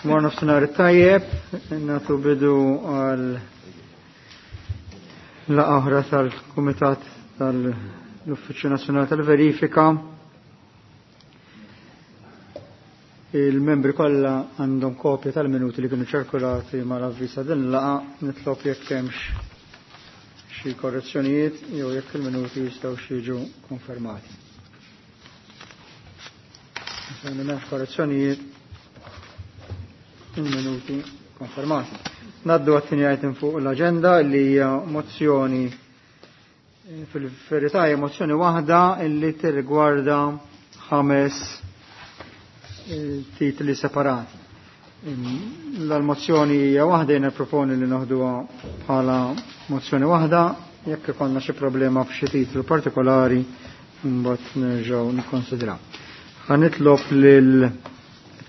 Mor nofsinhar tajjeb, nagħtu bidu għal laqgħa oħra tal-Kumitat tal-Uffiċċju Nazzjonali tal-Verifika. Il-membri kollha għandhom kopja tal-minuti li kienu ċirkulati mal-avviż din laqgħa, nitlob jekk hemmx xi korrezzjonijiet jew jekk il-minuti jistgħu jiġu konfermati. M'hemmx korrezzjonijiet, il-minuti konfermati. Naddu għat-tieni item fuq l-agenda li hija mozzjoni, fil-verità hija mozzjoni waħda illi tirrigwarda 5 titli separati. L-mozzjoni hija waħda, jiena proponi li noħduha bħala mozzjoni waħda, jekk ikollna xi problema f'xi titlu partikolari mbagħad nerġgħu nikkonsidraw. Ħa nitlob lil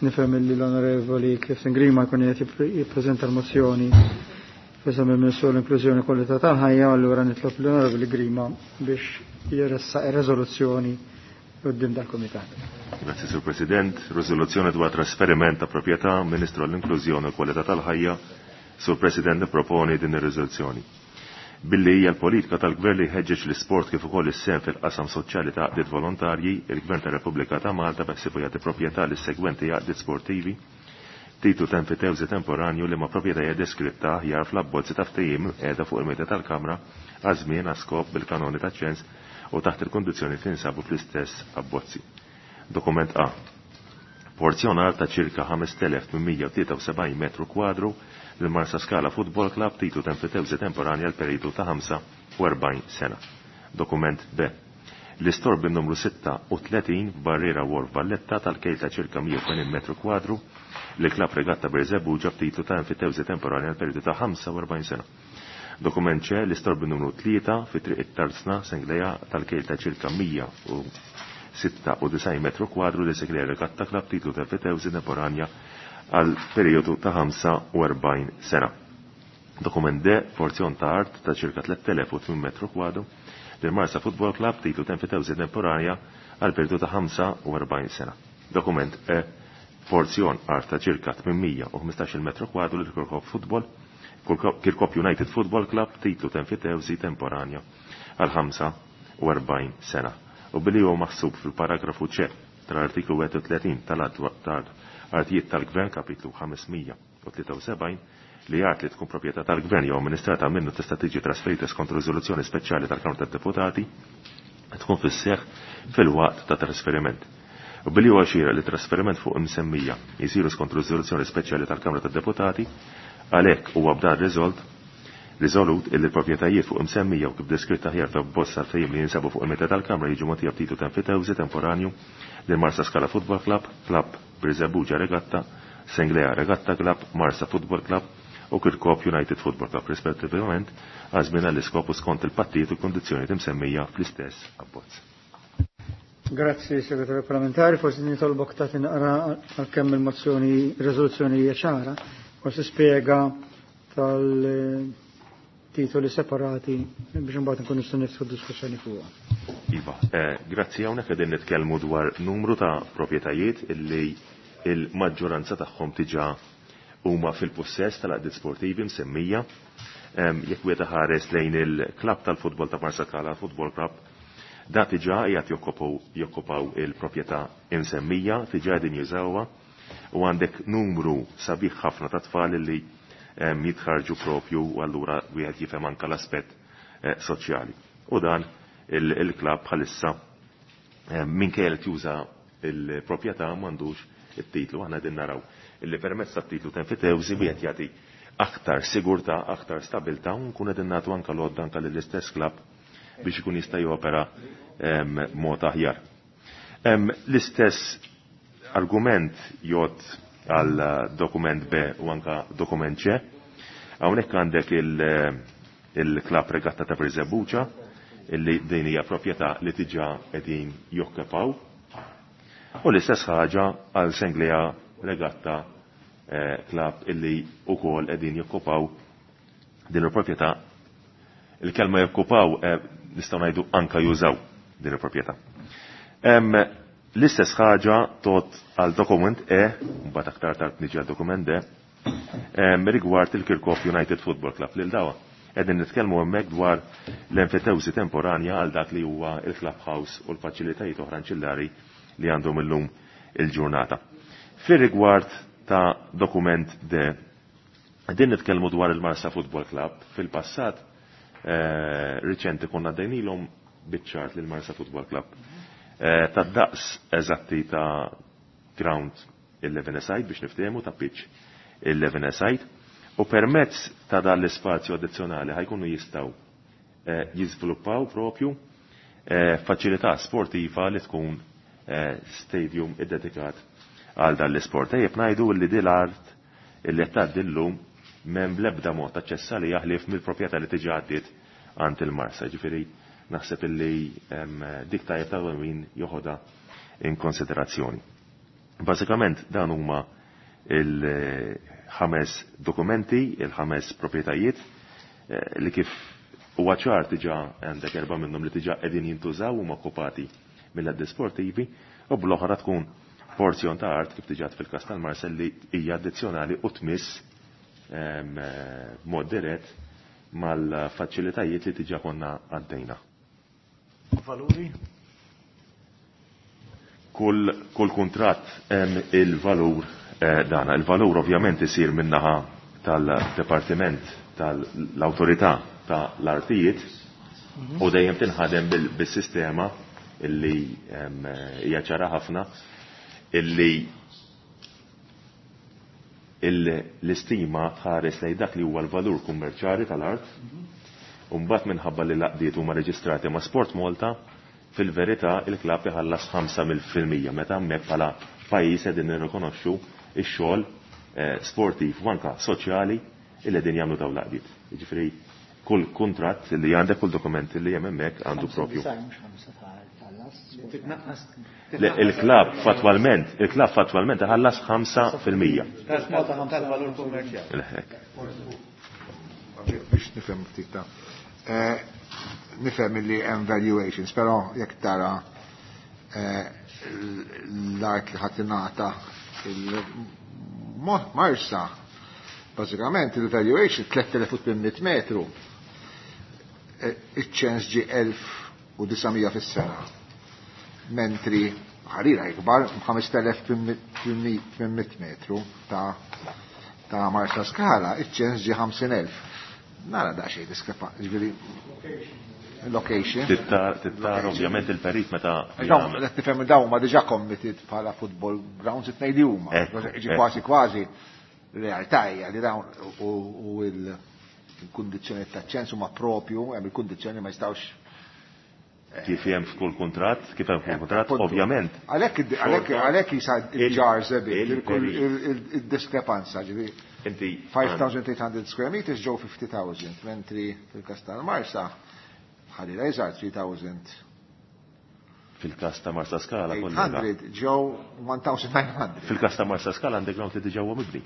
nifhem li l-Onorevoli Clifton Grima jkun qed jippreżenta l-mozzjoni f'isem il-Ministru l-Inklużjoni Kwalità tal-Ħajja, allura nitlob l-Onorevoli Grima biex jressaq ir-riżoluzzjoni quddiem dal-Kumitat. Grazzi, Sur President. Riżoluzzjoni dwar trasferiment ta' proprjetà, Ministru għall-Inklużjoni u Kwalità tal-Ħajja. Sur President, nipproponi din ir-riżoluzzjoni. Billi hija l-politika tal-Gvern li jħeġġeġ l-isport kif ukoll is-sehem fil-qasam soċjali ta' għaqdiet volontarji, il-Gvern tar-Repubblika ta' Malta beħsiebu jagħti proprjetà lis-segwenti għaqdiet sportivi, titlu ta' enfitewżi temporanju li ma' proprjetà hija deskritta aħjar fl-abbozzi ta' ftehim qiegħda fuq il-mejda tal-Kamra għaż-żmien għas skop bil-kanoni ta' ċens u taħt il-kondizzjoni li tinsabu fl-istess abbozzi. Dokument A. Porzjonar ta' ċirka 5873 metru kwadru lil Marsa Scala Football Club, titlu ta' enfitewżi temporanja għal periodu ta' 45 sena. Dokument B. L-istor bin-numru 36 f'Barriera Wharf Valletta tal-kejl ta' ċirka 180 metru kwadru li Club Regatta Birżebbuġa b'titlu ta' enfitewżi temporanja għal periodu ta' 45 sena. Dokument C. L-istor bin-numru 3 fi Triq it-Tarzna Senglea tal-kejl ta' ċirka 196 metru kwadru li Senglea Regatta Club titlu ta' enfitewżi temporanja għal periodu ta' 45 sena. Dokument D, porzjon ta' art ta' ċirka 3800 metru kwadru lil Marsa Football Club titlu ta' enfitewżi temporanja għal periodu ta' 45 sena. Dokument E, porzjon art ta' ċirka 815 metru kwadru lil Kirkop Football, Kirkop United Football Club titlu ta' enfitewżi temporanja għal 45 sena. U billi huwa maħsub fil-paragrafu C tal-artiklu 31 tal-att tal-Artijiet tal-Gvern kapitlu 573 li jgħid li tkun proprjetà tal-Gvern jew amministrata minnu tista' tiġi trasferita skont riżoluzzjoni speċjali tal-Kamra tad-Deputati tkun fis-seħħ fil-waqt ta' trasferiment. U billi huwa xieraq li trasferiment fuq imsemmija jisiru skont riżoluzzjoni speċjali tal-Kamra tad-Deputati, għalhekk huwa b'dan riżolut illi l-proprjetajiet fuq imsemmija u kif deskritta aħjar ta' bosta ftehim li jinsabu fuq il-meta tal-Kamra jiġu mogħtija b'titlu ta' enfitewżi temporanju lil Marsa Scala Football Club, Club Birżebbuġa Regatta, Senglea Regatta Club, Marsa Football Club u Kirkop United Football Club rispettivament għal żmien għall-iskop u skont il-pattijiet u kondizzjonijiet imsemmija fl-istess abbozz. Grazzi, Segretarju Parlamentari. Forsi nitolbok ta' tinqra għalkemm il-mozzjoni, riżoluzzjoni hija ċara, forsi spjega tal-titoli separati biex imbagħad nkunu nistgħu niftħu diskussjoni fuqha. Iva, grazzi, hawnhekk qegħdin nitkellmu dwar numru ta' proprjetajiet illi il-maġġoranza tagħhom diġà huma fil-possess tal-għaqdiet sportivi msemmija. Jekk wieħed ħares lejn il-klabb tal-futbol ta' Marsa Scala Football Club, da diġà qiegħed jokkupaw il-proprjetà imsemmija, diġà qegħdin jużawha, u għandek numru sabiħ ħafna ta' tfal li jitħarġu propju, u allura wieħed jifhem anke l-aspett soċjali. U dan il-klabb bħalissa minkejja li juża il-proprjetà m'għandux it-titlu. Aħna qegħdin naraw illi permezz tat-titlu ta' enfitewżi wieħed jagħti aktar sigurtà, aktar stabilità, u nkun qegħdin nagħtu anke l-għodda anke lill-istess klabb biex ikun jista' jopera mod aħjar. L-istess argument jgħod għal dokument B u anka dokument C. Hawnhekk għandek il-klabb regatta ta' Birżebbuġa illi din hija proprjetà li diġà qegħdin jokkupaw. U l-istess ħaġa għal Senglea Regatta Club illi wkoll qegħdin jokkupaw din il-proprjetà. Il-kelma jokkupaw nistgħu ngħidu anka jużaw din il-proprjetà. L-istess ħaġa tot għal dokument E, mbagħad aktar tard niġi għal dokument D, rigward il-Kirkop United Football Club lil dawa. Qegħdin nitkellmu hemmhekk dwar l-enfitewsi temporanja għal dak li huwa il-clubhouse u l-faċilitajiet oħra anċillari li għandhom illum il-ġurnata. Fir-rigward ta' dokument D, din nitkellmu dwar il-Marsa Football Club. Fil-passat riċenti konna dejnilhom biċ-ċart lil Marsa Football Club. Ta' daqs eżatti ta' ground 11 side biex niftehmu ta' pitch 11 side u permezz ta' dan l-ispazju addizzjonali ħajkunu jistgħu jiżviluppaw propju faċilità sportiva li tkun stadium iddedikat għal dan l-isport. Ejjeb ngħidu li din l-art illi qed tgħaddi llum m'hemm bl-ebda mod aċċess għaliha ħlief mill-proprjetà li tiġi għaddiet għand il-Marsa. Ġifieri naħseb illi dik tajjeb ta' min joħodha in konsiderazzjoni. Bażikament dan huma il-ħames dokumenti, il-ħames proprjetajiet li kif huwa ċar diġà għandek erba' minnhom li diġà qegħdin jintużaw huma okkupati mill-għaddi sportivi u bl-oħra tkun porzjon ta' art kif diġà fil-każ tal-Marsa li hija addizzjonali u tmiss b'mod dirett mal-faċilitajiet li diġà konna għaddejna. Valuri? Kull kuntratt hemm il-valur dana. Il-valur ovvjament isir minnaħa tal-Departiment tal-Awtorità tal-Artijiet u dejjem tinħadem bis-sistema illi hija ċara ħafna illi l-istima tħares lejn dak li huwa l-valur kummerċjali tal-art u mbagħad minħabba li l-għaqdiet huma reġistrati ma' Sport Malta, fil-verità il-klabb iħallas 5% meta hemmhekk bħala pajjiż qegħdin nirrikonoxxu x-xogħol sportiv u anke soċjali illi qegħdin jagħmlu dawn l-għaqdiet. Jiġifieri kull kuntratt li għandek, kull dokument li hemm hemmhekk għandu propju. Il-klabb fattwalment iħallas 5%. Tal-valur kummerċjali. Biex nifhem ftit ta' nifhem li hemm valuations, però jekk tara l-art li ħadd ingħata il-Marsa, bażikament il-valuation 3800 metru, iċ-ċens ġie 1900 fis-sena. Mentri ħarira ikbar 5800 metru ta' Marsa Skala, iċ-ċens ġie 50,000. Nara da xejn diskrepanza, ġifieri location. Tittar ovvjament il-perit meta Dawn qed nifhem dawn huma diġà committed bħala football grounds it-tnejn li huma. Ġi kważi kważi realtà hija li dawn u l-kundizzjoni taċ-ċens huma propju, hemm il-kundizzjoni ma jistgħux kif hemm f'kull kuntratt, kif hemm f'kull kuntratt, ovvjament. Għalhekk jisa il-ġar żebit, il-diskrepanza, ġifieri. Inti 5,800 square meters ġew 50,000, mentri fil-każ tal-Marsa ħalli rejżar 3,000. Fil-każ ta' Marsa Skala kollega. 800 ġew 1,900. Fil-każ ta' Marsa Skala għandek ground li diġà huwa mibni.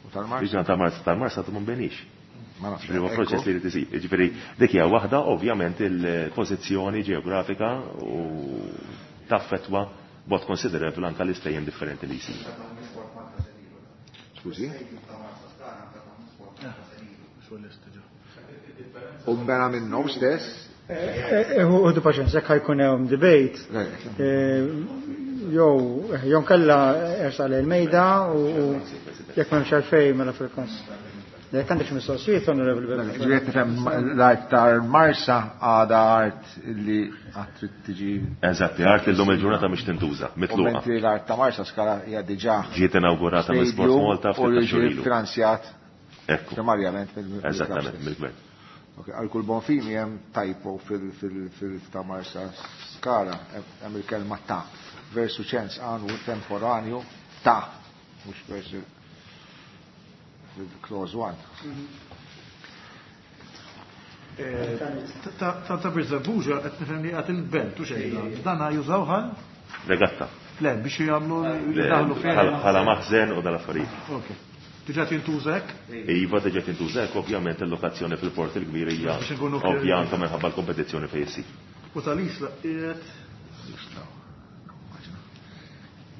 U tal-Marsa? Diġà ta' Marsa, tal-Marsa tu mbenix. Ma nafx. Ġifieri huwa proċess li jrid isir. Ġifieri dik hija waħda ovvjament il-pożizzjoni ġeografika u taffetwa b'mod konsiderevoli anke l-istejjem differenti li jsir. Skużi? U mbena minnhom stess? Uħdu paċenza, jekk ħajkun hemm debate. Jew nkella ersaq lejn il-mejda u jekk m'hemmx għalfejn mela fil-każ. Jekk għandek xi mistoqsijiet, Onorevoli Beppe. Ġifieri qed nifhem l-art tal-Marsa għadha art li għad trid tiġi. Eżatti, art li llum il-ġurnata mhix tintuża, mitluqa. U mentri l-art ta' Marsa Skala hija diġà Ġiet inaugurata minn Sport stadium Malta u ftit ta' li ġiet xhur ilu. finanzjat Ekku. primarjament mill-klabb Eżattament, stess. mill-gvern. Ok, għal kull bon fini hemm typo fil ta' Marsa Skala, hemm il-kelma ta' versu ċens għanu temporanju ta', mhux versu fil-clause 1. Ta' Birżebbuġa qed nifhem li qed il-belt u xejn. Dan jużaw ħal? Regatta. Le, biex jagħmlu Le, jdaħlu fih. bħala maħżen u dal-affarijiet. Ok. Diġà tintuża hekk? Iva, diġà tintuża hekk, ovvjament il-lokazzjoni fil-port il-kbir hija Biex inkunu ovvja anke minħabba l-kompetizzjoni fejn issir. U tal-Isla qiegħed.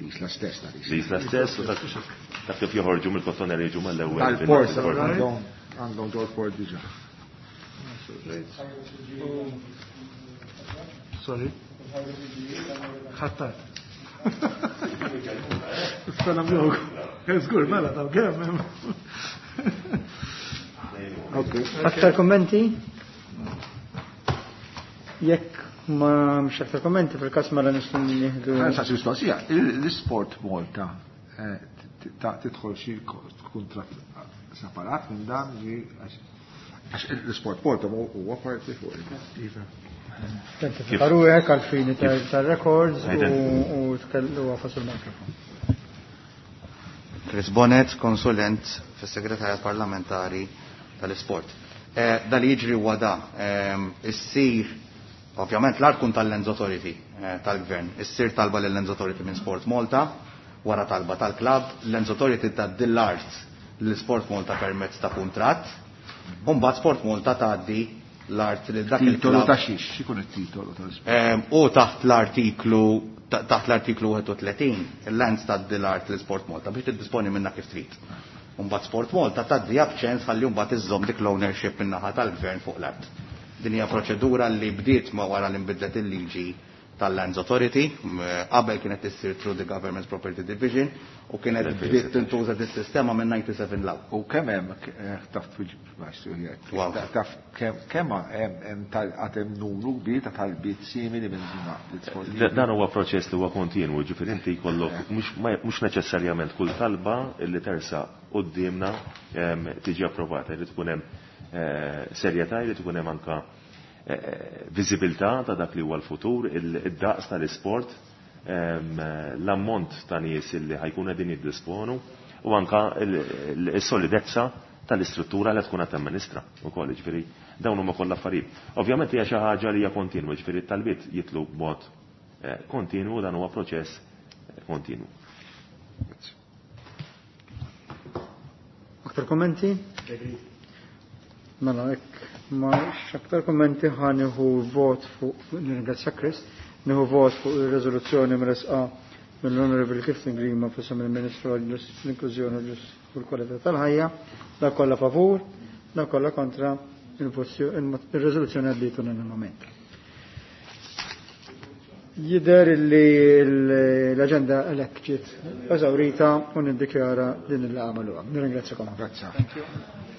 L-Isla stess ta' L-Isla stess u ta' kif joħorġu mill-Kottonera jiġu mal-ewwel. Tal-port għandhom ġol-port diġà. Sorry. Ħattar. Salam jog. Żgur, mela taw kemm. Aktar kommenti? Jekk ma mx aktar kommenti fil-każ mela nistgħu nieħdu. Ħa mistoqsija, l-Isport Malta tidħol xi kuntratt separat minn dan ġi għax l-Isport Malta huwa parti fuq il- Identifika ruħek għal-fini tal-records u tkellu għafas il-mikrofon. Chris Bonnet, konsulent fis-Segretarjat Parlamentari tal-Isport. Da li jiġri huwa da, issir ovvjament l-art kun tal-Lands Authority tal-Gvern, issir talba lill-Lands Authority minn Sport Malta, wara talba tal-klabb, l-Lands Authority tgħaddi l-art l-Sport Malta permezz ta' kuntratt, u mbagħad Sport Malta tgħaddi l-art li dak Titolu il-klabb. ta' xiex, x'ikun it-titolu tal-Isport? U taħt l-artiklu 31, il-Lands tgħaddi l-art l-Sport Malta biex tiddisponi minna kif trid. Mbagħad Sport Malta tgħaddi b'ċens ħalli mbagħad iżżomm dik l-ownership min-naħa tal-gvern fuq l-art. Din hija proċedura li bdiet ma wara li nbidlet il-liġi tal-Lands Authority, qabel kienet issir through the Government's Property Division u kienet bdiet tintuża dis-sistema minn 97 law. U kemm hemm taf Wow. taf kemm hemm għad hemm numru kbir ta' talbiet simili minn l-isport. Dan huwa proċess li huwa kontinwu, ġifieri inti jkollok mhux neċessarjament kull talba li tersa quddiemna tiġi approvata, jrid ikun hemm serjetà, jrid ikun hemm anka viżibilità ta' dak li huwa l-futur, id-daqs tal-isport, l-ammont ta' nies li ħajkun qegħdin jiddisponu u anka is-solidezza tal-istruttura li tkun qed tamministra wkoll, ġifieri dawn huma kollha affarijiet. Ovvjament hija xi ħaġa li hija kontinwa, ġifieri t-talbiet jitlu b'mod kontinwu, dan huwa proċess kontinwu. Aktar kommenti? Mela, hekk ma aktar kommenti ħa nieħu vot fuq, nirringrazzja Chris, nieħu vot fuq ir-riżoluzzjoni mresqa mill-Honorable Clifton Grima f'isem il-Ministru għall-Inklużjoni u l-Kwalità tal-Ħajja, dak kollha favur, dak kollha kontra, il-riżoluzzjoni għaddiet unanimament. Jidher li l-aġenda għalhekk ġiet eżawrita u niddikjara din il-laqgħa magħluqa. Nirringrazzjakom. Grazie. Thank you.